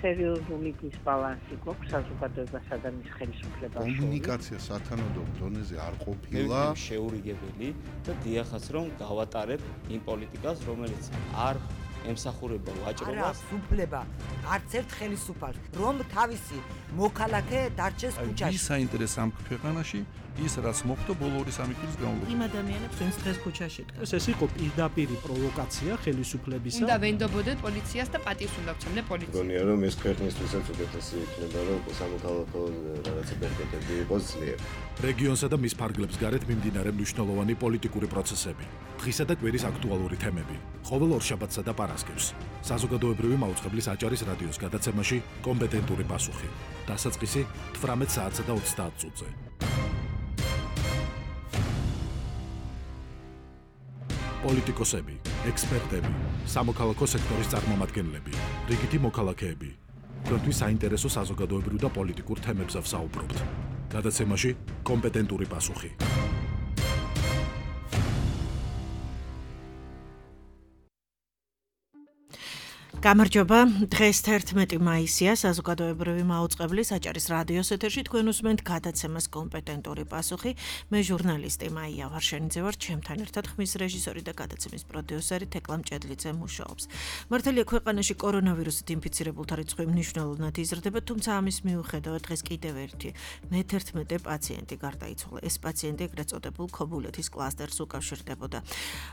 სერიოზული დისბალანსი გვაქვს საზოგადოებასა და მის ხელისუფლებას შორის. კომუნიკაცია სათანადო დონეზე არ ყოფილა. შეურიგებელი და დიახაც რომ გავატარებ იმ პოლიტიკას, რომელიც არ ემსახურება ვაჭრობას. სუფლება არც ერთ ხელისუფალს, რომ თავისი მოქალაქე დარჩეს ქუჩაში. ის საინტერესო ამ ქვეყანაში ის რაც მოხდა ბოლო 2-3 წლის განმავლობაში. იმ ადამიანებს ვინც დღეს ქუჩაში დგას. ეს იყო პირდაპირი პროვოკაცია ხელისუფლებისა. უნდა ვენდობოდეთ პოლიციას და პატივს უნდა ვცემდეთ პოლიციას. გონია რომ ეს ქვეყნისთვისაც უკეთესი იქნება რომ სამოქალაქო რაღაცა ბერკეტები იყოს ძლიერ. რეგიონსა და მის ფარგლებს გარეთ მიმდინარე მნიშვნელოვანი პოლიტიკური პროცესები, დღისა და კვირის აქტუალური თემები, ყოველ ორშაბათსა და პარასკევს. საზოგადოებრივი მაუწყებლის აჭარის რადიოს გადაცემაში კომპეტენტური პასუხი. დასაწყისი 18 საათსა და 30 წუთზე. პოლიტიკოსები, ექსპერტები, სამოქალაქო სექტორის წარმომადგენლები, რიგითი მოქალაქეები. თქვენთვის საინტერესო საზოგადოებრივ და პოლიტიკურ თემებზე ვსაუბრობთ. გადაცემაში კომპეტენტური პასუხი. გამარჯობა, დღეს 11 მაისია, საზოგადოებრივი მაუწყებლის აჭარის რადიოს ეთერში თქვენ უსმენთ გადაცემას კომპეტენტური პასუხი. მე ჟურნალისტი მაია ვარშენიძე ვარ, ჩემთან ერთად ხმის რეჟისორი და გადაცემის პროდიუსერი თეკლა მჭედლიძე მუშაობს. მართალია ქვეყანაში კორონავირუსით ინფიცირებულთა რიცხვი მნიშვნელოვნად იზრდება, თუმცა ამის მიუხედავად დღეს კიდევ ერთი მე-11 პაციენტი გარდაიცვალა. ეს პაციენტი ეგრეთ წოდებულ ქობულეთის კლასტერს უკავშირდებოდა.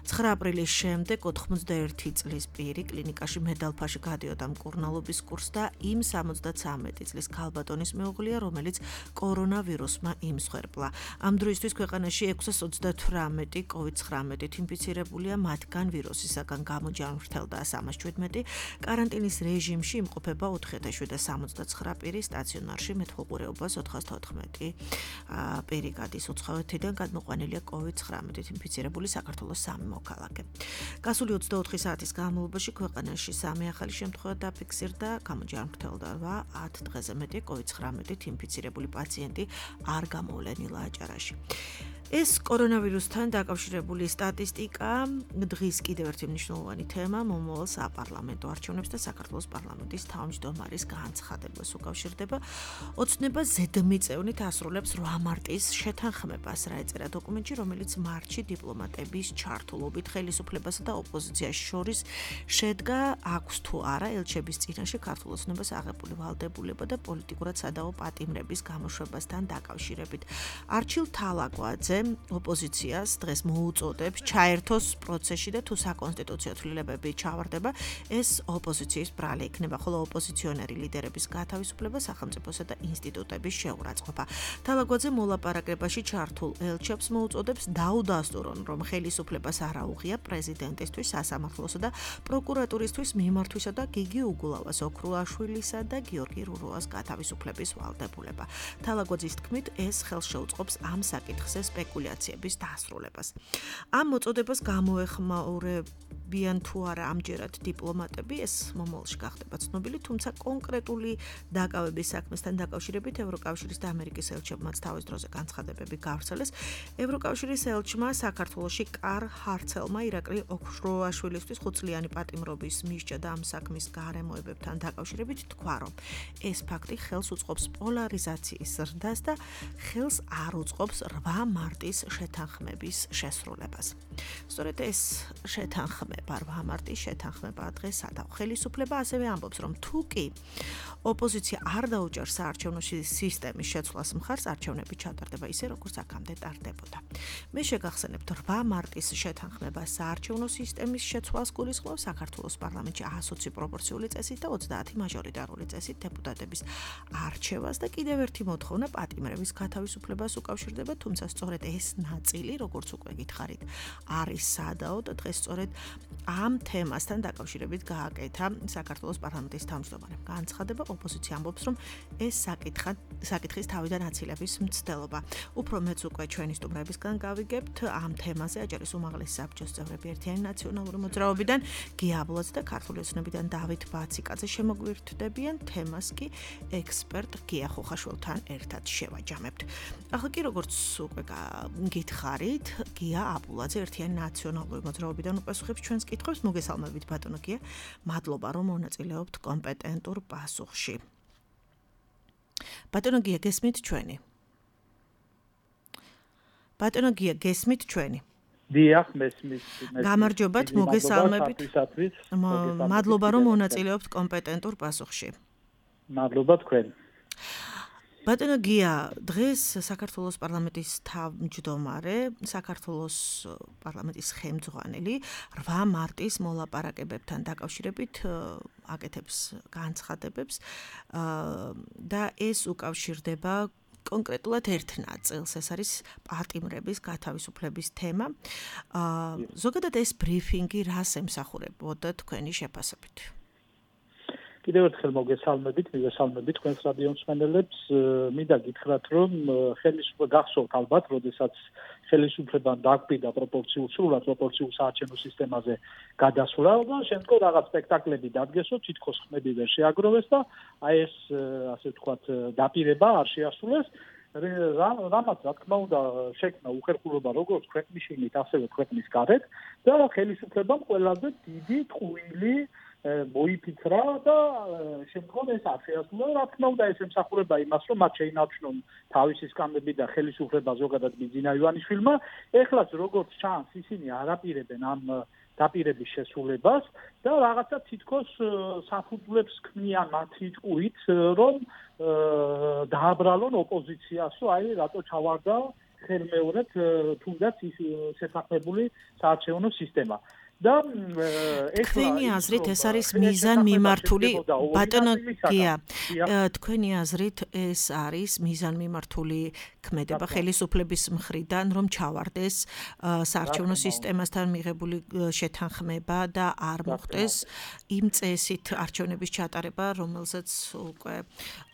9 აპრილის შემდეგ 91 წლის პირი კლინიკაში მედალფაში გადიოდა მკურნალობის კურსს და იმ 73 წლის ქალბატონის მეუღლეა, რომელიც კორონავირუსმა იმსხვერპლა. ამ დროისთვის ქვეყანაში 638 COVID-19-ით ინფიცირებულია, მათგან ვირუსისაგან გამოჯანმრთელდა 317, კარანტინის რეჟიმში იმყოფება 4779 პირი, სტაციონარში მეთვალყურეობას 414 პირი გადის. უცხოეთიდან გადმოყვანილია COVID-19-ით ინფიცირებული საქართველოს 3 მოქალაქე. გასული 24 საათის განმავლობაში ქვეყანაში 3 ახალი შემთხვევა დაფიქსირდა, გამოჯანმრთელდა 10 დღეზე მეტი COVID-19-ით ინფიცირებული პაციენტი არ გამოვლენილა აჭარაში. ეს კორონავირუსთან დაკავშირებული სტატისტიკა დღის კიდევ ერთი მნიშვნელოვანი თემა მომავალ საპარლამენტო არჩევნებს და საქართველოს პარლამენტის თავმჯდომარის განცხადებას უკავშირდება. ოცნება ზედმიწევნით ასრულებს 8 მარტის შეთანხმებას, რა ეწერა დოკუმენტში, რომელიც მარტში დიპლომატების ჩართულობით ხელისუფლებასა და ოპოზიციას შორის შედგა, აქვს თუ არა ელჩების წინაშე ქართულ ოცნებას აღებული ვალდებულება და პოლიტიკურად სადავო პატიმრების გამოშვებასთან დაკავშირებით. არჩილ თალაკვაძე ოპოზიციას დღეს მოუწოდებს ჩაერთოს პროცესში და თუ საკონსტიტუციო ცვლილებები ჩავარდება, ეს ოპოზიციის ბრალი იქნება, ხოლო ოპოზიციონერი ლიდერების გათავისუფლება, სახელმწიფოსა და ინსტიტუტების შეურაცხყოფა. თალაკვაძე მოლაპარაკებაში ჩართულ ელჩებს მოუწოდებს დაუდასტურონ, რომ ხელისუფლებას არ აუღია პრეზიდენტისთვის, სასამართლოსა და პროკურატურისთვის მიმართვისა და გიგი უგულავას, ოქრუაშვილისა და გიორგი რუროას გათავისუფლების ვალდებულება. თალაკვაძის თქმით, ეს ხელს შეუწყობს ამ საკითხზე სპეკულაციების დასრულებას. ამ მოწოდებას გამოეხმაურებიან თუ არა ამჯერად დიპლომატები, ეს მომავალში გახდება ცნობილი, თუმცა კონკრეტული დაკავების საქმესთან დაკავშირებით ევროკავშირის და ამერიკის ელჩებმაც თავის დროზე განცხადებები გავრცელეს. ევროკავშირის ელჩმა საქართველოში კარ ჰარცელმა ირაკლი ოქრუაშვილისთვის 5 წლიანი პატიმრობის მისჯა და ამ საქმის გარემოებებთან დაკავშირებით თქვა, რომ ეს ფაქტი ხელს უწყობს პოლარიზაციის ზრდას და ხელს არ უწყობს 8 მარტის შეთანხმების შესრულებას. სწორედ ეს შეთანხმება, 8 მარტის შეთანხმება დღეს სადავ. ხელისუფლება ასევე ამბობს, რომ თუ კი ოპოზიცია არ დაუჭერს საარჩევნო სისტემის შეცვლას მხარს, არჩევნები ჩატარდება ისე, როგორც აქამდე ტარდებოდა. მე შეგახსენებთ 8 მარტის შეთანხმება საარჩევნო სისტემის შეცვლას გულისხმობს საქართველოს პარლამენტში 120 პროპორციული წესით და 30 მაჟორიტარული წესით დეპუტატების არჩევას და კიდევ ერთი მოთხოვნა პატიმრების გათავისუფლებას უკავშირდება, თუმცა სწორედ ეს ნაწილი, როგორც უკვე გითხარით, არის სადაო და დღეს სწორედ ამ თემასთან დაკავშირებით გააკეთა საქართველოს პარლამენტის თავმჯდომარემ განცხადება. ოპოზიცია ამბობს, რომ ეს საკითხის თავიდან აცილების მცდელობა. უფრო მეც უკვე ჩვენი სტუმრებისგან გავიგებთ ამ თემაზე აჭარის უმაღლესი საბჭოს წევრები ერთიანი ნაციონალური მოძრაობიდან გია აბლაძე და ქართული ოცნებიდან დავით ბაციკაძე შემოგვირთდებიან, თემას კი ექსპერტ გია ხოხაშვილთან ერთად შევაჯამებთ. ახლა კი როგორც უკვე გითხარით გია აბულაძე ერთიანი ნაციონალური მოძრაობიდან უპასუხებს ჩვენს კითხვებს. მოგესალმებით ბატონო გია. მადლობა რომ მონაწილეობთ კომპეტენტურ პასუხში. ბატონო გია გესმით ჩვენი? ბატონო გია გესმით ჩვენი? დიახ, მესმის. გამარჯობათ, მოგესალმებით. მადლობა რომ მონაწილეობთ კომპეტენტურ პასუხში. მადლობა თქვენ. ბატონო გია, დღეს საქართველოს პარლამენტის თავმჯდომარე, საქართველოს პარლამენტის ხელმძღვანელი 8 მარტის მოლაპარაკებებთან დაკავშირებით აკეთებს განცხადებებს და ეს უკავშირდება კონკრეტულად ერთ ნაწილს, ეს არის პატიმრების გათავისუფლების თემა. ზოგადად ეს ბრიფინგი რას ემსახურებოდა თქვენი შეფასებით? კიდევ ერთხელ მოგესალმებით თქვენს რადიო მსმენელებს. მინდა გითხრათ, რომ ხელისუფლება გახსოვთ ალბათ, როდესაც ხელისუფლებამ დააკვირდა სრულად პროპორციულ საარჩევნო სისტემაზე გადასვლა და შემდგომ რაღაც სპექტაკლები დადგესო, თითქოს ხმები ვერ შეაგროვეს და აი ეს ასე ვთქვათ დაპირება არ შეასრულეს. რამაც რა თქმა უნდა შექმნა უხერხულობა როგორც ქვეყნის შიგნით, ასევე ქვეყნის გარეთ და ხელისუფლებამ ყველაზე დიდი ტყუილი მოიფიქრა და შემდგომ ეს არ შეასრულა. რა თქმა უნდა ეს ემსახურება იმას, რომ მათ შეინარჩუნონ თავისი სკამები და ხელისუფლება ზოგადად ბიძინა ივანიშვილმა. ეხლაც როგორც ჩანს, ისინი არ აპირებენ ამ დაპირების შესრულებას და რაღაცა თითქოს საფუძვლებს ქმნიან მათი ტყუით, რომ დააბრალონ ოპოზიციასო, აი რატო ჩავარდა ხელმეორედ თუნდაც ის შეთანხმებული საარჩევნო სისტემა. და თქვენი აზრით ეს არის მიზანმიმართული ბატონო გია თქვენი აზრით ეს არის მიზანმიმართული ქმედება ხელისუფლების მხრიდან რომ ჩავარდეს საარჩევნო სისტემასთან მიღებული შეთანხმება და არ მოხდეს იმ წესით არჩევნების ჩატარება რომელსაც უკვე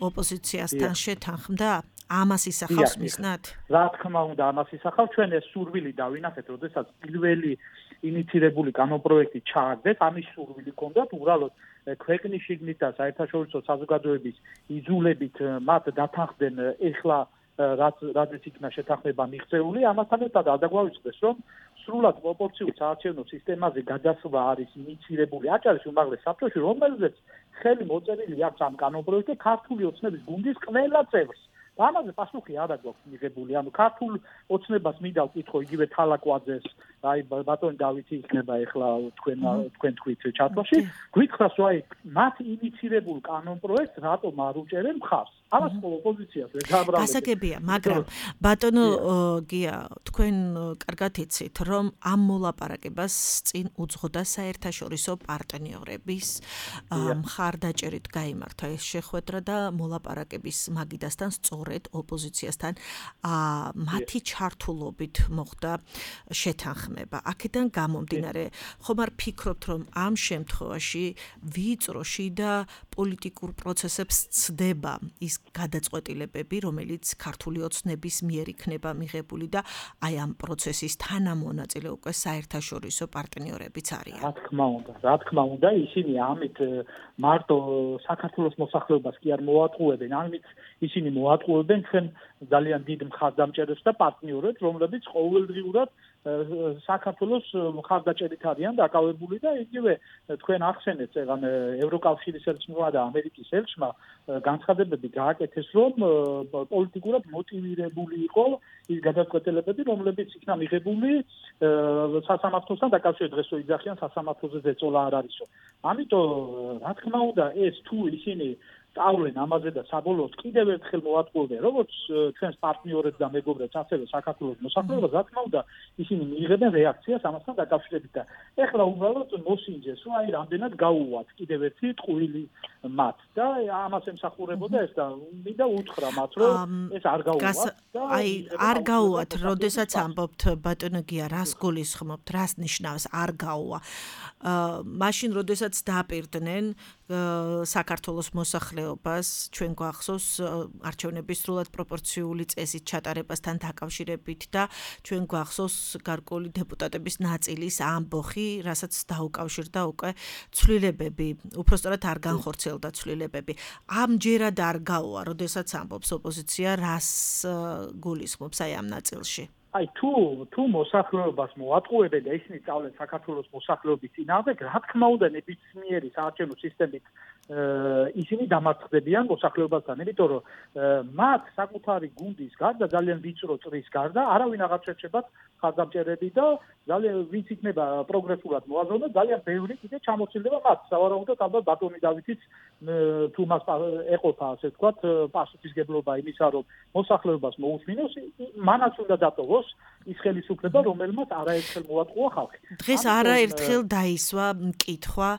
ოპოზიციასთან შეთანხმდა ამას ისახავს მიზნად? რა თქმა უნდა ამას ისახავს. ჩვენ ეს სურვილი დავინახეთ, როდესაც პირველი ინიცირებული კანონპროექტი ჩააგდეს, ამის სურვილი ჰქონდათ უბრალოდ ქვეყნის შიგნით და საერთაშორისო საზოგადოების იზოლებით მათ დათანხმდნენ ეხლა რაც იქნა შეთანხმება მიღწეული, ამასთან ერთად არ დაგვაუწყდეს, რომ სრულად პროპორციულ საარჩევნო სისტემაზე გადასვლა არის ინიცირებული აჭარის უმაღლეს საბჭოში, რომელზეც ხელი მოწერილი აქვს ამ კანონპროექტზე ქართული ოცნების გუნდის ყველა წევრს. ამაზე პასუხი არ აქვს მიღებული. ანუ ქართულ ოცნებას მინდა ვკითხო იგივე თალაკვაძეს, აი ბატონი დავითი იქნება ახლა თქვენ თქვით ჩატვაში. გვითხრას რომ აი მათ ინიცირებულ კანონპროექტს რატომ არ უჭერენ მხარს? ამას ოპოზიციას ვერ დააბრალებს. გასაგებია, მაგრამ ბატონო გია, თქვენ კარგად იცით, რომ ამ მოლაპარაკებას წინ უძღოდა საერთაშორისო პარტნიორების მხარდაჭერით გაიმართა ეს შეხვედრა და მოლაპარაკების მაგიდასთან სწორედ ოპოზიციასთან მათი ჩართულობით მოხდა შეთანხმება. აქედან გამომდინარე, ხომ არ ფიქრობთ, რომ ამ შემთხვევაში ვიწროში და პოლიტიკურ პროცესებს ცდება ის გადაწყვეტილებები, რომელიც ქართული ოცნების მიერ იქნება მიღებული და აი ამ პროცესის თანამონაწილე უკვე საერთაშორისო პარტნიორებიც არიან. რა თქმა უნდა, ისინი ამით მარტო საქართველოს მოსახლეობას კი არ მოატყუებენ, ამით ისინი მოატყუებენ ჩვენ ძალიან დიდ მხარდამჭერებს და პარტნიორებს, რომლებიც ყოველდღიურად საქართველოს მხარდაჭერით არიან დაკავებული და იგივე თქვენ ახსენეთ, ეგან ევროკავშირის ელჩმა და ამერიკის ელჩმა განცხადებები გააკეთეს, რომ პოლიტიკურად მოტივირებული იყო ის გადაწყვეტილებები, რომლებიც იქნა მიღებული სასამართლოსთან დაკავშირებით. დღესო იძახიან სასამართლოზე ზეწოლა არ არისო. ამიტომ რა თქმა უნდა ეს თუ ისინი სწავლენ ამაზე და საბოლოოდ კიდევ ერთხელ მოატყუებენ როგორც ჩვენს პარტნიორებს და მეგობრებს, ასევე საქართველოს მოსახლეობას, რა თქმა უნდა ისინი მიიღებენ რეაქციას ამასთან დაკავშირებით და ეხლა უბრალოდ მოსინჯეს, რომ აი რამდენად გაუვათ კიდევ ერთი ტყუილი მათ და ამას ემსახურებოდა ეს და მინდა უთხრა მათ, რომ ეს არ გაუვათ და აი არ გაუვათ, როდესაც ამბობთ ბატონო გია, რას გულისხმობთ, რას ნიშნავს არ გაუვა? მაშინ როდესაც დაპირდნენ საქართველოს მოსახლეობას, ჩვენ გვახსოვს არჩევნების სრულად პროპორციული წესით ჩატარებასთან დაკავშირებით და ჩვენ გვახსოვს გარკვეული დეპუტატების ნაწილის ამბოხი, რასაც დაუკავშირდა უკვე ცვლილებები, უпростоრად არ განხორციელდა ცვლილებები. ამჯერად არ გაუვა, როდესაც ამბობს ოპოზიცია, რას გულისხმობს აი ამ ნაწილში? აი თუ მოსახლეობას მოატყუებენ და ისინი სწავლენ საქართველოს მოსახლეობის წინააღმდეგ, რა თქმა უნდა ნებისმიერი საარჩევნო სისტემით ისინი დამარცხდებიან მოსახლეობასთან, იმიტომ რომ მათ საკუთარი გუნდის გარდა ძალიან ვიწრო წრის გარდა არავინ აღარ შეერჩებათ ხარდამჭერები და ძალიან ვინც იქნება პროგრესულად მოაზროვნე, ძალიან ბევრი კიდე ჩამოცილდება მათ. სავარაუდოდ ალბათ ბატონი დავითიც თუ მას ეყოფა, ასე ვთქვათ, პასუხისგებლობა იმისა, რომ მოსახლეობას მოусმინოს, მანაც უნდა დატოვოს ის ხელისუფლება, რომელმაც არაერთხელ მოატყუა ხალხი. დღეს არაერთხელ დაისვა მკითხვა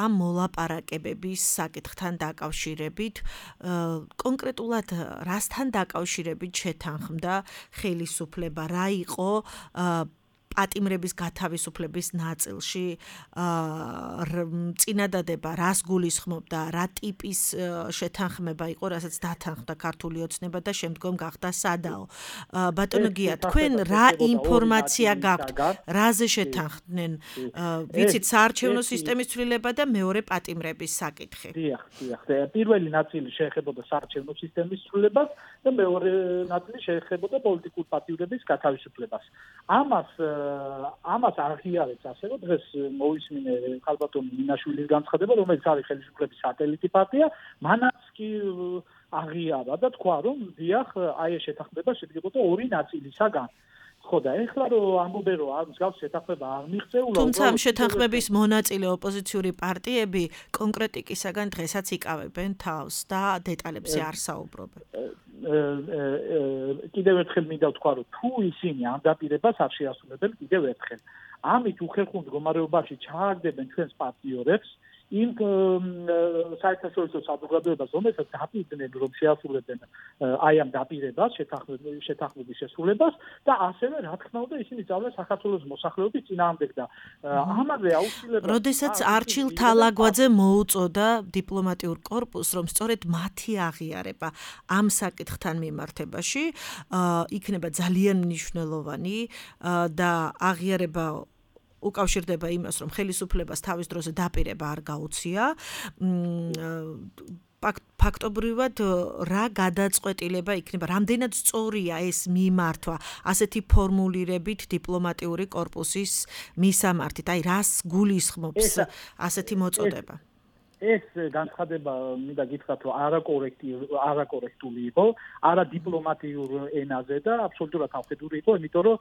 ამ მოლაპარაკებების საკითხთან დაკავშირებით, კონკრეტულად რასთან დაკავშირებით შეთანხმდა ხელისუფლება, რა იყო პატიმრების გათავისუფლების ნაწილში წინადადება რას გულისხმობდა, რა ტიპის შეთანხმება იყო, რასაც დათანხმდა ქართული ოცნება და შემდგომ გახდა სადაო. ბატონო გია, თქვენ რა ინფორმაცია გაქვთ, რაზე შეთანხმდნენ? ვიცით საარჩევნო სისტემის ცვლილება და მეორე პატიმრების საკითხი. დიახ. პირველი ნაწილი შეეხებოდა საარჩევნო სისტემის ცვლილებას და მეორე ნაწილი შეეხებოდა პოლიტიკური პატიმრების გათავისუფლებას. ამას აღიარებს ასე რომ დღეს მოვისმინე ხალბატონი მინაშვილის განცხადება, რომელიც არის ხელისუფლების სატელიტი პარტია, მანაც კი აღიარა და თქვა რომ დიახ, აი ეს შეთანხმება შედგებოდა ორი ნაწილისაგან. ხო და ეხლა რომ ამბობენ რომ ამ მსგავს შეთანხმება არ მიღწეულა, თუმცა ამ შეთანხმების მონაწილე ოპოზიციური პარტიები კონკრეტიკისაგან დღესაც იკავებენ თავს და დეტალებზე არ საუბრობენ. კიდევ ერთხელ მინდა ვთქვა, რომ თუ ისინი ამ დაპირებას არ შეასრულებენ კიდევ ერთხელ, ამით უხერხულ მდგომარეობაში ჩააგდებენ ჩვენს პარტნიორებს იმ საერთაშორისო საზოგადოებას, რომელსაც დაპირდნენ რომ შეასრულებენ აი ამ დაპირებას, შეთანხმების შესრულებას და ასევე რა თქმა უნდა ისინი სწავლენ საქართველოს მოსახლეობის წინააღმდეგ და ამაზე აუცილებლად როდესაც არჩილ თალაგვაძე მოუწოდა დიპლომატიურ კორპუსს, რომ სწორედ მათი აღიარება ამ საკითხთან მიმართებაში იქნება ძალიან მნიშვნელოვანი და აღიარება უკავშირდება იმას, რომ ხელისუფლებას თავის დროზე დაპირება არ გაუწია. ფაქტობრივად რა გადაწყვეტილება იქნება, რამდენად სწორია ეს მიმართვა ასეთი ფორმულირებით დიპლომატიური კორპუსის მისამართით, აი რას გულისხმობს ასეთი მოწოდება? ეს განცხადება მინდა გითხრათ რომ არაკორექტული იყო, არადიპლომატიურ ენაზე და აბსოლუტურად ამხედრული იყო, იმიტომ რომ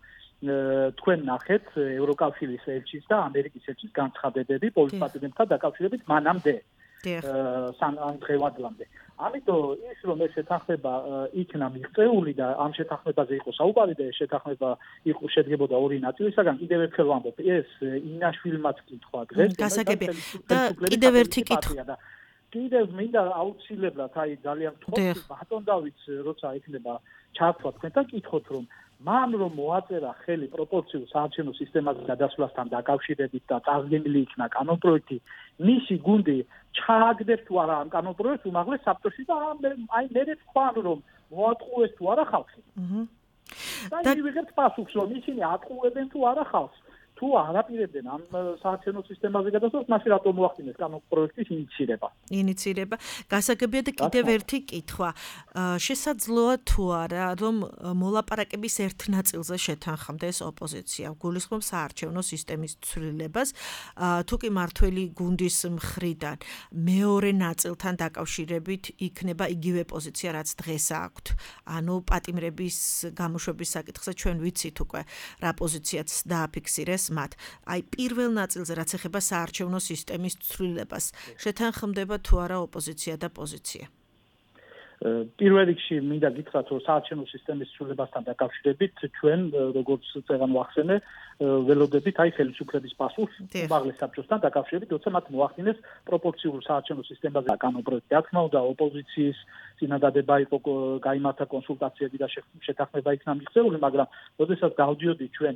თქვენ ნახეთ ევროკავშირის ელჩის და ამერიკის ელჩის განცხადებები პოლიტიკასთან დაკავშირებით მანამდე დღევანდლამდე. ამიტომ ის რომ ეს შეთანხმება იქნა მიღწეული და ამ შეთანხმებაზე იყო საუბარი და ეს შეთანხმება იყო შედგებოდა ორი ნაწილისაგან, კიდევ ერთხელ ვამბობ, ეს ინაშვილმაც კითხვა დღეს და კიდევ ერთი კითხვა. კიდევ მინდა აუცილებლად აი ძალიან თხოვს ბატონ დავითს როცა იქნება ჩართვა თქვენთან კითხოთ რომ მან რომ მოაწერა ხელი პროპორციულ საარჩევნო სისტემაზე გადასვლასთან დაკავშირებით და წარდგენილი იქნა კანონპროექტი, მისი გუნდი ჩააგდებს თუ არა ამ კანონპროექტს უმაღლეს საბჭოში და აი მე თქვან რომ მოატყუეს თუ არა ხალხი. და ვიღებთ პასუხს რომ ისინი ატყუებენ თუ არა ხალხს. თუ არაპირებდნენ ამ საარჩევნო სისტემაზე გადასვლას, მაშინ რატომ მოახდინეს კანონპროექტის ინიცირება? გასაგებია და კიდევ ერთი კითხვა. შესაძლოა თუ არა, რომ მოლაპარაკების ერთ ნაწილზე შეთანხმდეს ოპოზიცია, გულისხმობს საარჩევნო სისტემის ცვლილებას, თუ კი მართველი გუნდის მხრიდან მეორე ნაწილთან დაკავშირებით იქნება იგივე პოზიცია, რაც დღეს აქვთ. ანუ პატიმრების გამოშვების საკითხზე ჩვენ ვიცით უკვე რა პოზიციაც დააფიქსირეს მათ. აი პირველ ნაწილზე რაც ეხება საარჩევნო სისტემის ცვლილებას, შეთანხმდება თუ არა ოპოზიცია და პოზიცია? პირველ რიგში მინდა გითხრათ, რომ საარჩევნო სისტემის ცვლილებასთან დაკავშირებით ჩვენ როგორც წეგან ვახსენე, ველოდებით აი ხელისუფლების პასუხს უმაღლეს საბჭოსთან დაკავშირებით, როცა მათ მოახდინეს პროპორციულ საარჩევნო სისტემაზე კანონპროექტი. რა თქმა უნდა, ოპოზიციის წინადადება იყო გაიმართა კონსულტაციები და შეთანხმება იქნა მიღწეული, მაგრამ როდესაც დავდიოდით ჩვენ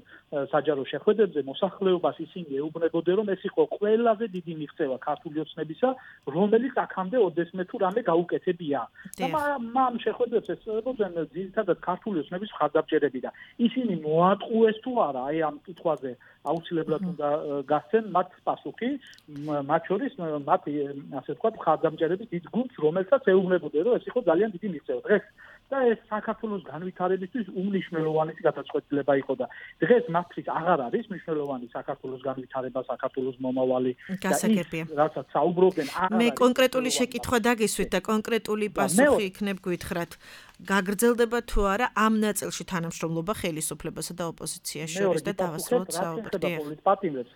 საჯარო შეხვედრებზე, მოსახლეობას ისინი ეუბნებოდნენ, რომ ეს იყო ყველაზე დიდი მიღწევა ქართული ოცნებისა, რომელიც აქამდე ოდესმე თუ რამე გაუკეთებია. მამ შეხვედრებს ესწრებოდნენ ძირითადად ქართული ოცნების მხარდამჭერები და ისინი მოატყუეს თუ არა აი ამ კითხვაზე აუცილებლად უნდა გასცენ მათ პასუხი, მათ შორის მათ ასე ვთქვათ მხარდამჭერები დიდ გუნდს, რომელსაც ეუბნებოდნენ, რომ ეს იყო ძალიან დიდი მიღწევა. დღეს და ეს საქართველოს განვითარებისთვის უმნიშვნელოვანესი გადაწყვეტილება იყო და დღეს მათთვის აღარ არის მნიშვნელოვანი საქართველოს განვითარება, საქართველოს მომავალი და ის, რასაც საუბრობენ, მე კონკრეტული შეკითხვა დაგისვით და კონკრეტული პასუხი იქნებ გითხრათ. გაგრძელდება თუ არა ამ ნაწილში თანამშრომლობა ხელისუფლებასა და ოპოზიციის შორის და დავასრულოთ საუბრი. პოლიტპატიმრებს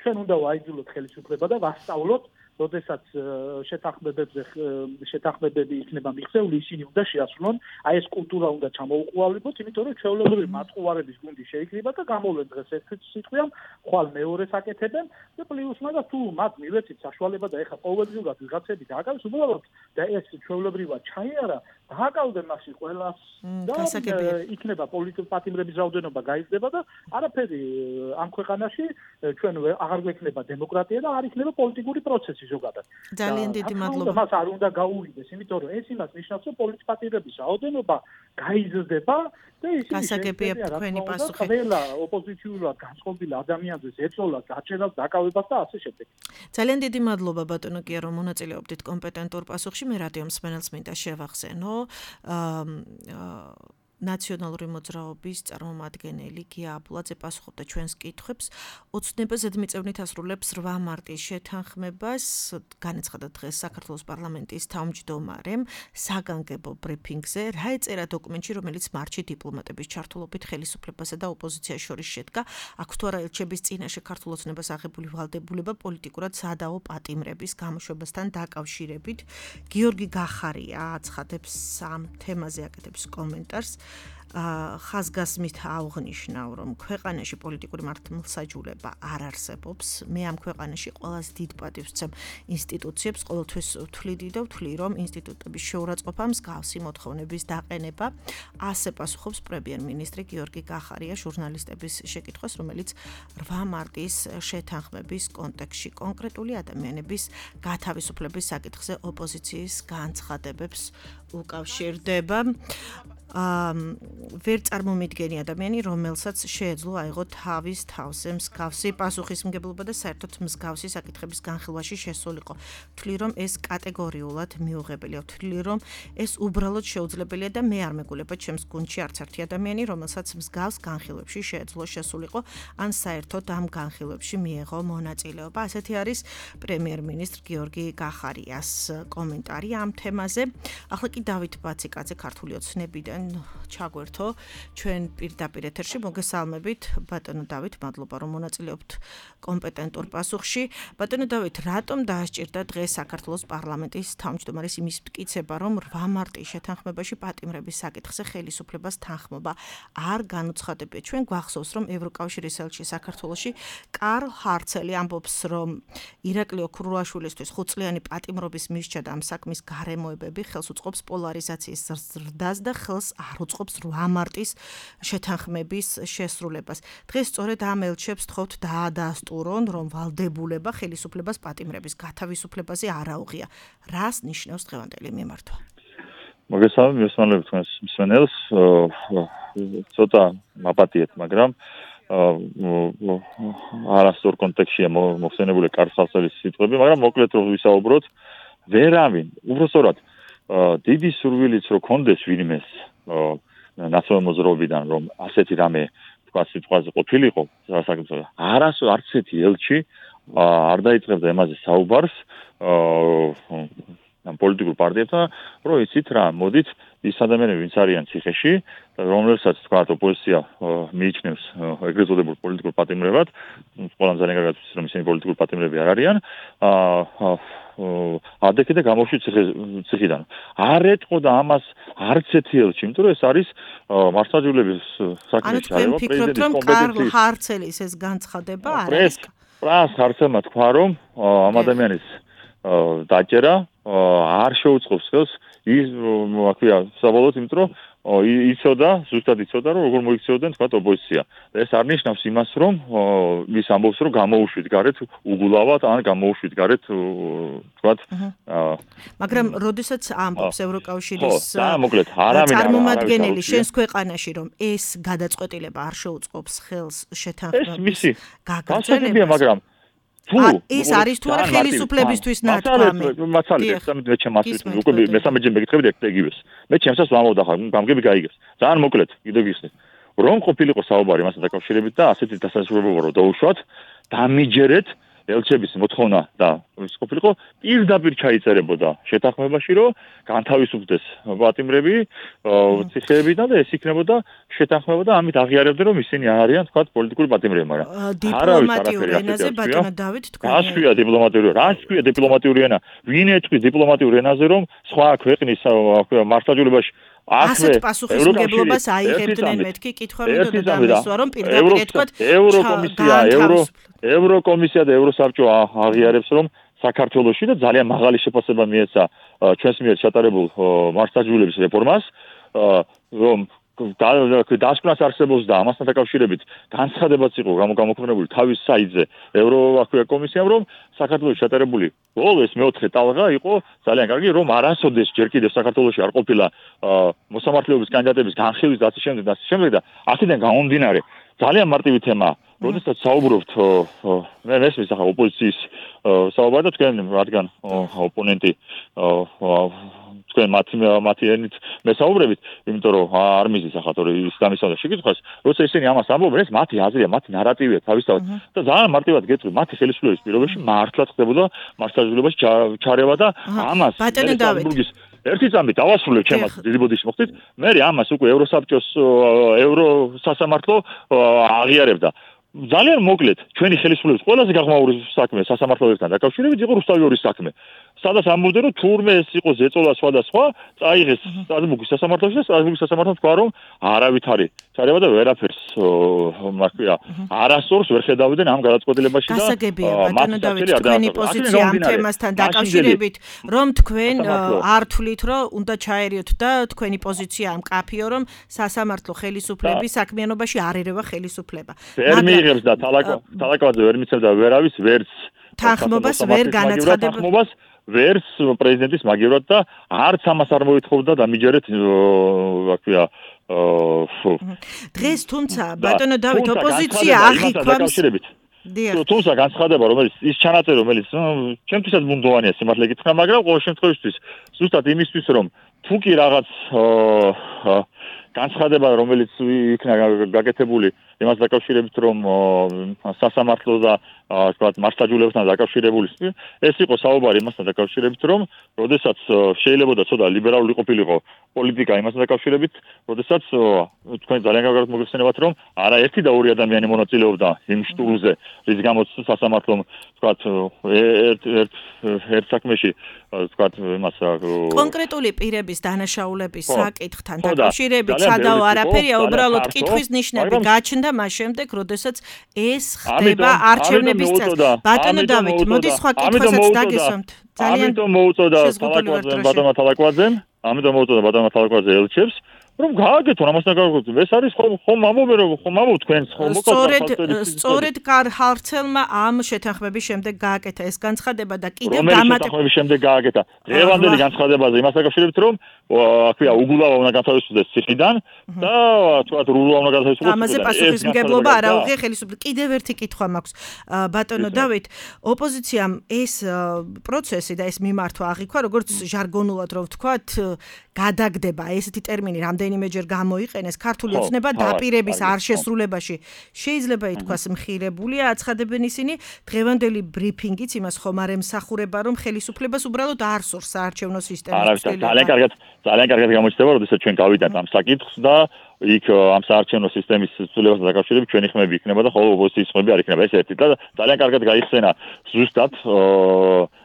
ჩვენ უნდა ვაიძულოთ ხელისუფლება და ვასწავლოთ როდესაც შეთანხმებები იქნება მიღწეული, ისინი უნდა შეასრულონ, აი ეს კულტურა უნდა ჩამოუყალიბოთ, იმიტომ რომ ჩვეულებრივი მათყუარების გუნდი შეიკრიბა და გამოვლენ დღეს ერთ სიტყვიან, ხვალ მეორეს აკეთებენ და პლუს მაგას თუ მათ მივეცით საშუალება და ეხა ყოველდღიურად ვიღაცები დააკავეს უბრალოდ და ეს ჩვეულებრივად ჩაიარა, დააკავდნენ მასი ყველას და იქნება პოლიტპატიმრების რაოდენობა გაიზრდება და არაფერი ამ ქვეყანაში ჩვენ აღარ გვექნება დემოკრატია და არ იქნება პოლიტიკური პროცესი. ძალიან დიდი მადლობა. მას არ უნდა გაუვიდეს, იმიტომ რომ ეს იმას ნიშნავს, რომ პოლიტპატიმრების რაოდენობა გაიზრდება და ისინი გასაგებია თქვენი პასუხი. ყველა ოპოზიციურად განწყობილ ადამიანზე ეწოლათ დაჭერას, დაკავებას და ასე შემდეგ. ძალიან დიდი მადლობა ბატონო გია, რომ მონაწილეობდით კომპეტენტურ პასუხში. მე რადიო მსმენელს მინდა შევახსენო. ნაციონალური მოძრაობის წარმომადგენელი გია აბულაძე პასუხობდა ჩვენს კითხვებს. ოცნება ზედმიწევნით ასრულებს 8 მარტის შეთანხმებას. განაცხადა დღეს საქართველოს პარლამენტის თავმჯდომარემ საგანგებო ბრიფინგზე, რა ეწერა დოკუმენტში, რომელიც მარტში დიპლომატების ჩართულობით ხელისუფლებასა და ოპოზიციას შორის შედგა. აქვს თუ არა ელჩების წინაშე ქართულ ოცნებას აღებული ვალდებულება პოლიტიკურად სადაო პატიმრების გამოშვებასთან დაკავშირებით. გიორგი გახარია აცხადებს ამ თემაზე აკეთებს კომენტარს. ხაზგასმით აღნიშნავ, რომ ქვეყანაში პოლიტიკური მართლმსაჯულება არ არსებობს. მე ამ ქვეყანაში ყველაზე დიდ პატივს ვცემ ინსტიტუციებს, ყოველთვის ვთვლიდი და ვთვლი, რომ ინსტიტუტების შეურაცხყოფა მსგავსი მოთხოვნების დაყენება. ასე პასუხობს პრემიერ-მინისტრი გიორგი გახარია ჟურნალისტების შეკითხვას, რომელიც 8 მარტის შეთანხმების კონტექსტში კონკრეტული ადამიანების გათავისუფლების საკითხზე ოპოზიციის განცხადებებს უკავშირდება. ვერ წარმომიდგენი ადამიანი, რომელსაც შეეძლო აიღო თავის თავზე მსგავსი პასუხისმგებლობა და საერთოდ მსგავსი საკითხების განხილვაში შესულიყო. ვთვლი, რომ ეს კატეგორიულად მიუღებელია. ვთვლი, რომ ეს უბრალოდ შეუძლებელია და მე არ მეგულება ჩემს გუნდში არც ერთი ადამიანი, რომელსაც მსგავს განხილვებში შეეძლო შესულიყო, ან საერთოდ ამ განხილვებში მიეღო მონაწილეობა. ასეთი არის პრემიერ-მინისტრ გიორგი გახარიას კომენტარი ამ თემაზე. ახლა კი დავით ბაციკაძე ქართული ოცნებიდან ჩაგვერთო ჩვენ პირდაპირ ეთერში. მოგესალმებით ბატონო დავით, მადლობა რომ მონაწილეობთ კომპეტენტურ პასუხში. ბატონო დავით, რატომ დაასჭირდა დღეს საქართველოს პარლამენტის თავმჯდომარის იმის მტკიცება, რომ 8 მარტის შეთანხმებაში პატიმრების საკითხზე ხელისუფლებას თანხმობა არ განუცხადებია? ჩვენ გვახსოვს, რომ ევროკავშირის ელჩი საქართველოში კარლ ჰარცელი ამბობს, რომ ირაკლი ოქრუაშვილისთვის 5 წლიანი პატიმრობის მისჯა და ამ საქმის გარემოებები ხელს უწყობს პოლარიზაციის ზრდას და ხელს არ უწყობს 8 მარტის შეთანხმების შესრულებას. დღეს სწორედ ამ ელჩებს თხოვთ დაადასტურონ, რომ ვალდებულება ხელისუფლებას პატიმრების გათავისუფლებაზე არ აუღია. რას ნიშნავს დღევანდელი მიმართვა? მოგესალმებით თქვენს მსმენელს. ცოტა მაპატიეთ, მაგრამ არასწორ კონტექსტშია მოხსენებული კარლ ჰარცელის სიტყვები, მაგრამ მოკლედ რომ ვისაუბროთ, ვერავინ, უბრალოდ დიდი სურვილიც რო კონდეს ვინმეს ნაციონალურ მოძრაობიდან, რომ ასეთი რამე თქვა სიტყვაზე ყოფილიყო, არც ერთი ელჩი არ დაიწყებდა ემაზე საუბარს ამ პოლიტიკურ პარტიებთან, რომ იცით რა, მოდით ის ადამიანები, ვინც არიან ციხეში, რომელსაც თქვა ოპოზიცია მიიჩნევს ეგრეთ წოდებულ პოლიტიკურ პატიმრებად, ყველამ ძალიან კარგად ვიცით, რომ ისინი პოლიტიკურ პატიმრები არ არიან, ადექი და გამოშვი ციხიდან. არ ეტყოდა ამას არც ერთი ელჩი, იმიტომ რომ ეს არის მართლმსაჯულების საქმეში არის პრეზიდენტის კომპეტენციის. ანუ თქვენ ფიქრობთ, რომ კარლ ჰარცელის ეს განცხადება არ არის? პრას ჰარცელმა თქვა, რომ ამ ადამიანის დაჭერა არ შეუწყობს ხელს ის აქვია საბოლოოდ, იმიტომ რომ ზუსტად იცოდა, რომ როგორ მოიქცეოდნენ თქვა ოპოზიცია. ეს არ ნიშნავს იმას, რომ ის ამბობს, რომ გამოუშვით გარეთ უგულავად, ან გამოუშვით გარეთ თქვა. მაგრამ როდესაც ამბობს ევროკავშირის წარმომადგენელი შენს ქვეყანაში, რომ ეს გადაწყვეტილება არ შეუწყობს ხელს შეთანხმების გაგრძელებას, მაგრამ ეს არის თუ არა ხელისუფლებისთვის ნათქვამი. მაცალეთ, მე ჩემს უკვე მესამეჯერ მეკითხები ეგივეს. მე ჩემსაც ვამბობ და გამგები გაიგებს. ძალიან მოკლედ, კიდევ გიხსნით. რომ ყოფილიყო საუბარი მასთან დაკავშირებით და ასეთი დასასრულებლობა რომ დაუშვათ, დამიჯერეთ ელჩების მოთხოვნა და ის ყოფილიყო პირდაპირ ჩაიწერებოდა შეთანხმებაში, რომ განთავისუფლდეს პატიმრები, ციხეებიდან და ეს იქნებოდა შეთანხმება და ამით აღიარებდნენ, რომ ისინი არიან თქვა პოლიტიკური პატიმრები, მაგრამ დიპლომატიურ ენაზე ბატონო დავით თქვენ. რას ქვია დიპლომატიური ენა? ვინ ეთქვის დიპლომატიურ ენაზე, რომ სხვა ქვეყნის მართლმსაჯულებაში ასეთ პასუხისმგებლობას აიღებდნენ მეთქი კითხვა მინდოდა დამისვა რომ პირდაპირ ეთქვათ ევროკომისია და ევროსაბჭო აღიარებს რომ საქართველოში და ძალიან მაღალი შეფასება მიეცა ჩვენს მიერ ჩატარებულ მართლმსაჯულების რეფორმას რომ დასკვნას არსებობს და ამასთან დაკავშირებით განცხადებაც იყო გამოქვეყნებული თავის საიტზე ევროკომისიამ რომ საქართველოს ჩატარებული ბოლო ეს მეოთხე ტალღა იყო ძალიან კარგი რომ არასოდეს ჯერ კიდევ საქართველოში არ ყოფილა მოსამართლეობის კანდიდატების განხილვის და ასე შემდეგ და აქედან გამომდინარე ძალიან მარტივი თემაა როდესაც საუბრობთ მე მესმის ახლა ოპოზიციის საუბარი და თქვენ რადგან ოპონენტი თქვენ მათი ენით მესაუბრებით, იმიტომ რომ არ მიზის ახლა თორე ის გამისავდა შეკითხვას, როცა ისინი ამას ამბობენ, ეს მათი აზრია, მათი ნარატივია თავისთავად და ძალიან მარტივად გეტყვი, მათი ხელისუფლების პირობებში მართლაც ხდებოდა მართლმსაჯულებაში ჩარევა და ამას ბატონო დავით ერთი წამი დავასრულებ ჩემს დიდი ბოდიში მოხდით, მე ამას უკვე ევროსაბჭოს ევროსასამართლო აღიარებდა. ძალიან მოკლედ, ჩვენი ხელისუფლების ყველაზე გაღმაური საქმე სასამართლოებთან დაკავშირებით იყო რუსთავიორის საქმე. სადაც ამბობდნენ, რომ თურმე ეს იყო ზეწოლა სხვადასხვა, წაიღეს სტრასბურგის სასამართლოში და სტრასბურგის სასამართლომ თქვა, რომ არავითარი ჩარევა და ვერაფერს მარქვია. არასწორს ვერ ხედავდნენ ამ გადაწყვეტილებაში და გასაგებია, ბატონო დავით, თქვენი პოზიცია ამ თემასთან დაკავშირებით, რომ თქვენ არ თვლით, რომ უნდა ჩაერიოთ და თქვენი პოზიცია ამ კაფიო, რომ სასამართლო ხელისუფლების საქმიანობაში არ ერევა ხელისუფლება. მიიღებს და თალაკავაძე ვერ მიცემდა ვერავის ვერც თანხმობას ვერ განაცხადება ვერც პრეზიდენტის მაგივრად და არც ამას არ მოითხოვდა დამიჯერეთ რა დღეს თუმცა ბატონო დავით ოპოზიცია აღიქვამს თუმცა განცხადება რომელიც ის ჩანაწერი რომელიც ჩემთვისაც ბუნდოვანია სიმართლე გითხრა მაგრამ ყოველ შემთხვევაში ზუსტად იმისთვის რომ თუ კი რაღაც განცხადება რომელიც იქნა გაკეთებული იმას დაკავშირებით რომ სასამართლო და თქვათ მართლმსაჯულებთან დაკავშირებული ეს იყო საუბარი იმასთან დაკავშირებით რომ როდესაც შეიძლება და ცოტა ლიბერალური ყოფილიყო პოლიტიკა იმასთან დაკავშირებით როდესაც თქვენ ძალიან კარგად მოგეხსენებათ რომ არაერთი და ორი ადამიანი მონაწილეობდა იმ შტურმზე რის გამოც სასამართლომ თქვათ ერთ საქმეში თქვათ იმას კონკრეტული პირების დანაშაულების საკითხთან დაკავშირებით სადავო არაფერია უბრალოდ კითხვის ნიშნები გაჩნდა მას შემდეგ როდესაც ეს ხდება არჩევნების წელს ბატონო დავით მოდი სხვა კითხვასაც დაგესვამთ ძალიან ამიტომ მოუწოდა ბატონმა თალაკვაძემ ელჩებს რომ გააგეთონ ამასთან გააგეთონ ეს არის ხომ ამბობენ რომ ხომ ამბობ თქვენს ხომ სწორედ კარჰარცელმა ამ შეთანხმების შემდეგ გააკეთა ეს განცხადება და კიდევ შეთანხმების შემდეგ გააკეთა დღევანდელი განცხადებაზე იმას დაკავშირებით რომ აქვია უგულავა უნდა გათავისუფლდეს ციხიდან და თქვათ რულა უნდა გათავისუფლდეს ამაზე პასუხისმგებლობა არ აუღია ხელისუფლებას კიდევ ერთი კითხვა მაქვს ბატონო დავით ოპოზიციამ ეს პროცესი და ეს მიმართვა აღიქვა როგორც ჟარგონულად რომ ვთქვათ გადაგდება ესეთი ტერმინი რამდენიმეჯერ გამოიყენეს ქართული ოცნება დაპირების არ შესრულებაში შეიძლება ითქვას მხირებულია აცხადებენ ისინი დღევანდელი ბრიფინგიც იმას ხომ არ ემსახურება რომ ხელისუფლებას უბრალოდ არ სურს საარჩევნო სისტემის ძალიან კარგად გამოჩნდება როდესაც ჩვენ გავიდანთ ამ საკითხს და იქ ამ საარჩევნო სისტემის ცვლილებასთან დაკავშირებით ჩვენი ხმები იქნება და ხოლო ოპოზიციის ხმები არ იქნება ეს ერთი და ძალიან კარგად გაიხსენა ზუსტად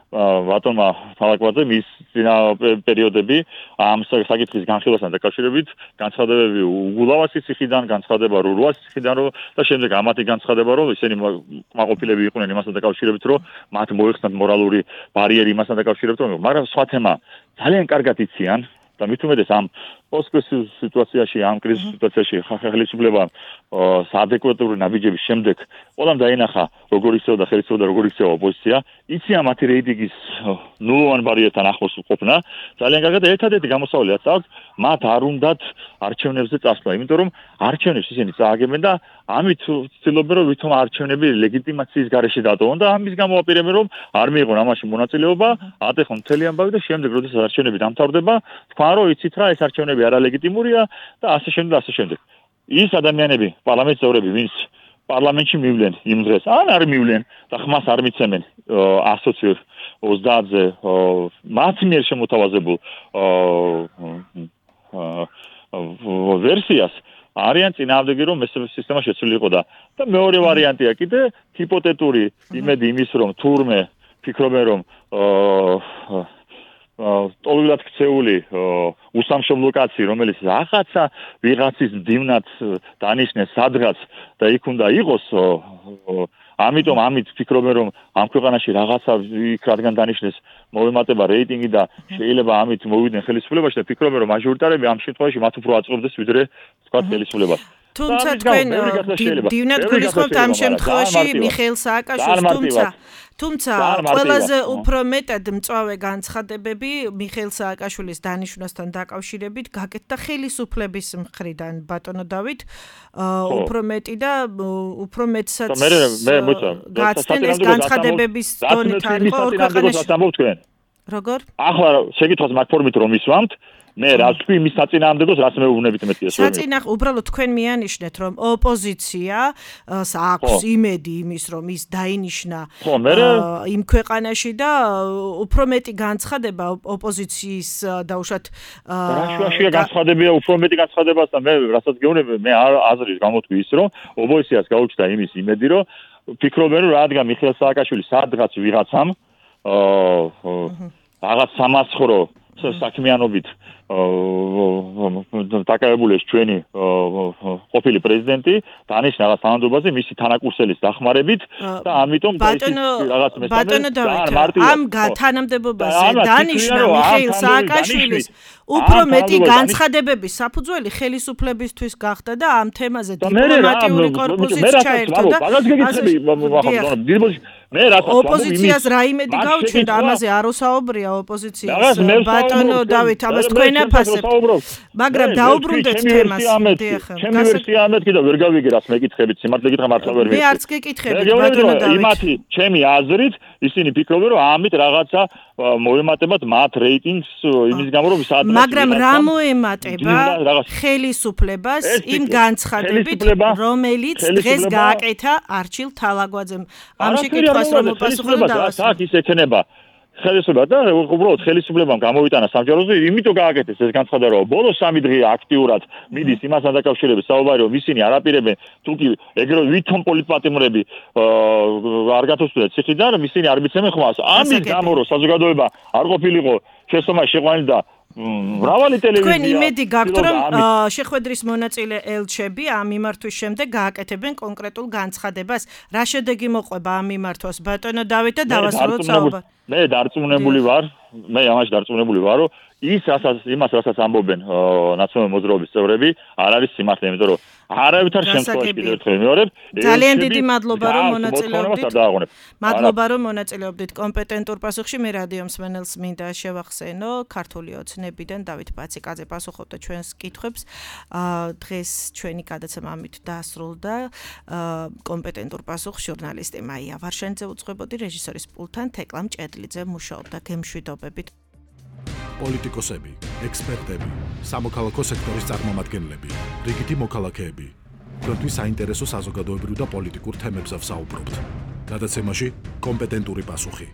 ბატონმა თალაკვაძემ ის წინა პერიოდები ამ საკითხის განხილვასთან დაკავშირებით განცხადებები უგულავასის ციხიდან განცხადება რურუას ციხიდან და შემდეგ ამათი განცხადება რომ ისინი კმაყოფილები იყვნენ იმასთან დაკავშირებით რომ მათ მოეხსნათ მორალური ბარიერი იმასთან დაკავშირებით რომ მაგრამ სხვა თემა ძალიან კარგად იციან და მით უმეტეს ამ ოსკრეს სიტუაციაში, ამ კრიზის სიტუაციაში ხელისუფლებამ საადეკვატური ნაბიჯების შემდეგ ყველამ დაინახა, როგორ იქცევა და ხელისუფლება და როგორ იქცევა ოპოზიცია. იციან მათი რეიტინგის ნულოვან ბარიერთან ახლოს ყოფნა. ძალიან კარგად ერთადერთი გამოსავალი რაც აქვს, მათ არ უნდათ არჩევნებზე წასვლა, იმიტომ რომ არჩევნებს ისინი წააგებენ და ამით ცდილობენ რომ ვითომ არჩევნები ლეგიტიმაციის გარეშე დატოვონ და ამის გამო აპირებენ რომ არ მიიღონ ამაში მონაწილეობა, ატეხონ მთელი ამბავი და შემდეგ როდესაც არჩევნები დამთავრდება, თქვან რომ იცით რა ეს არჩევნები არალეგიტიმურია და ასე შემდეგ და ასე შემდეგ. ის ადამიანები, პარლამენტის წევრები, ვინც პარლამენტში მივლენ იმ დღეს, ან არ მივლენ და ხმას არ მიცემენ 120-ზე მათ მიერ შემოთავაზებულ ვერსიას არიან წინააღმდეგი რომ ეს სისტემა შეცვლილიყო და მეორე ვარიანტია კიდე ჰიპოთეტური იმედი იმის რომ თურმე ფიქრობენ რომ ტოლად ქცეული უსამშობლო კაცი რომელიც რაღაცა ვიღაცის მდივნად დანიშნეს სადღაც და იქ უნდა იყოს ამიტომ ამით ფიქრობენ რომ ამ ქვეყანაში რაღაცა იქ რადგან დანიშნეს მოვემატება რეიტინგი და შეიძლება ამით მოვიდნენ ხელისუფლებაში და ფიქრობენ რომ მაჟორიტარები ამ შემთხვევაში მათ უფრო აწყობდეს ვიდრე თქვა ხელისუფლებას თუმცა თქვენ დივნად გულისხმობთ ამ შემთხვევაში მიხეილ სააკაშვილს თუმცა ყველაზე უფრო მეტად მწვავე განცხადებები მიხეილ სააკაშვილის დანიშვნასთან დაკავშირებით გაკეთდა ხელისუფლების მხრიდან ბატონო დავით უფრო მეტი და უფრო მეტსაც გაცდენ ეს განცხადებების დონით არ იყო ორ ქვეყანაში როგორ ახლა შეკითხვას მაგ ფორმით რომ ისვამთ მე რა თქვი იმის საწინააღმდეგოს რაც მე ვუნებით მეტია საწინააღმდეგო უბრალოდ თქვენ მიანიშნეთ რომ ოპოზიციას აქვს იმედი იმის რომ ის დაინიშნა იმ ქვეყანაში და უფრო მეტი განცხადება ოპოზიციის დაუშვათ რაშუაშია განცხადებია უფრო მეტი განცხადებას და მე რასაც გეუბნები მე აზრის გამოთქვი ის რომ ოპოზიციას გაუჩნდა იმის იმედი რომ ფიქრობენ რომ რადგან მიხეილ სააკაშვილი სადღაც ვიღაცამ რაღაც სამაცხოვრო საქმიანობით დაკავებული ეს ჩვენი ყოფილი პრეზიდენტი დანიშნა რაღაც თანამდებობაზე მისი თანაკურსელის დახმარებით და ამიტომ ბატონო დავით ამ თანამდებობაზე დანიშნა მიხეილ სააკაშვილის უფრო მეტი განცხადებების საფუძველი ხელისუფლებისთვის გახდა და ამ თემაზე დიპლომატიური კორპუსიც ჩაერთო და მე რასაც ოპოზიციას რა იმედი გაუჩნდა ამაზე არ უსაუბრია ოპოზიციას ბატონო დავით ამას თქვენ აფასებთ მაგრამ დაუბრუნდეთ თემას ჩემი ვერსია ამეთ კიდევ ვერ გავიგე რას მეკითხებით სიმართლე გითხრა მართლა ვერ მე არც გეკითხებით ბატონო დავით იმათი ჩემი აზრით ისინი ფიქრობენ რომ ამით რაღაცა მოემატებათ მათ რეიტინგს იმის გამო რომ სადღაც მაგრამ რა მოემატება ხელისუფლებას იმ განცხადებით რომელიც დღეს გააკეთა არჩილ თალაგვაძემ ამ შეკითხვას რომ უპასუხო დავასრულე აქ ის ექნება ხელისუფლება და უბრალოდ ხელისუფლებამ გამოვიტანა სამჯეროზე იმიტომ გააკეთეს ეს განცხადება რომ ბოლო 3 დღე აქტიურად მიდის იმასთან დაკავშირებით საუბარი რომ ისინი არ აპირებენ თუკი ეგრევე ვითომ პოლიტპატიმრები არ გათოსვდნენ ციხიდან ისინი არ მიცემენ ხმას ამის გამო რომ საზოგადოება არ ყოფილიყო შესწომაში შეყვანილი და მრავალი ტელევიზია თქვენ იმედი გაქვთ რომ შეხვედრის მონაწილე ელჩები ამ მიმართვის შემდეგ გააკეთებენ კონკრეტულ განცხადებას რა შედეგი მოყვება ამ მიმართვას ბატონო დავით და დავასრულოთ საუბარი მე დარწმუნებული ვარ მე ამაში დარწმუნებული ვარ რომ იმას რასაც ამბობენ ნაციონალური მოძრაობის წევრები არ არის სიმართლე იმიტომ რომ არავითარ შემთხვევაში კიდევ ერთხელ ვიმეორებ ძალიან დიდი მადლობა რომ მონაწილეობდით კომპეტენტურ პასუხში მე რადიო მსმენელს მინდა შევახსენო ქართული ოცნებიდან დავით პაციკაძე პასუხობდა ჩვენს კითხვებს დღეს ჩვენი გადაცემა ამით დასრულდა კომპეტენტურ პასუხს ჟურნალისტი მაია ვარშენიძე უძღვებოდი რეჟისორის პულტთან თეკლამ ჭედლიძე მუშაობდა გემშვიდობებით პოლიტიკოსები, ექსპერტები, სამოქალაქო სექტორის წარმომადგენლები, რიგითი მოქალაქეები. თქვენთვის საინტერესო საზოგადოებრივ და პოლიტიკურ თემებზე ვსაუბრობთ. გადაცემაში კომპეტენტური პასუხი.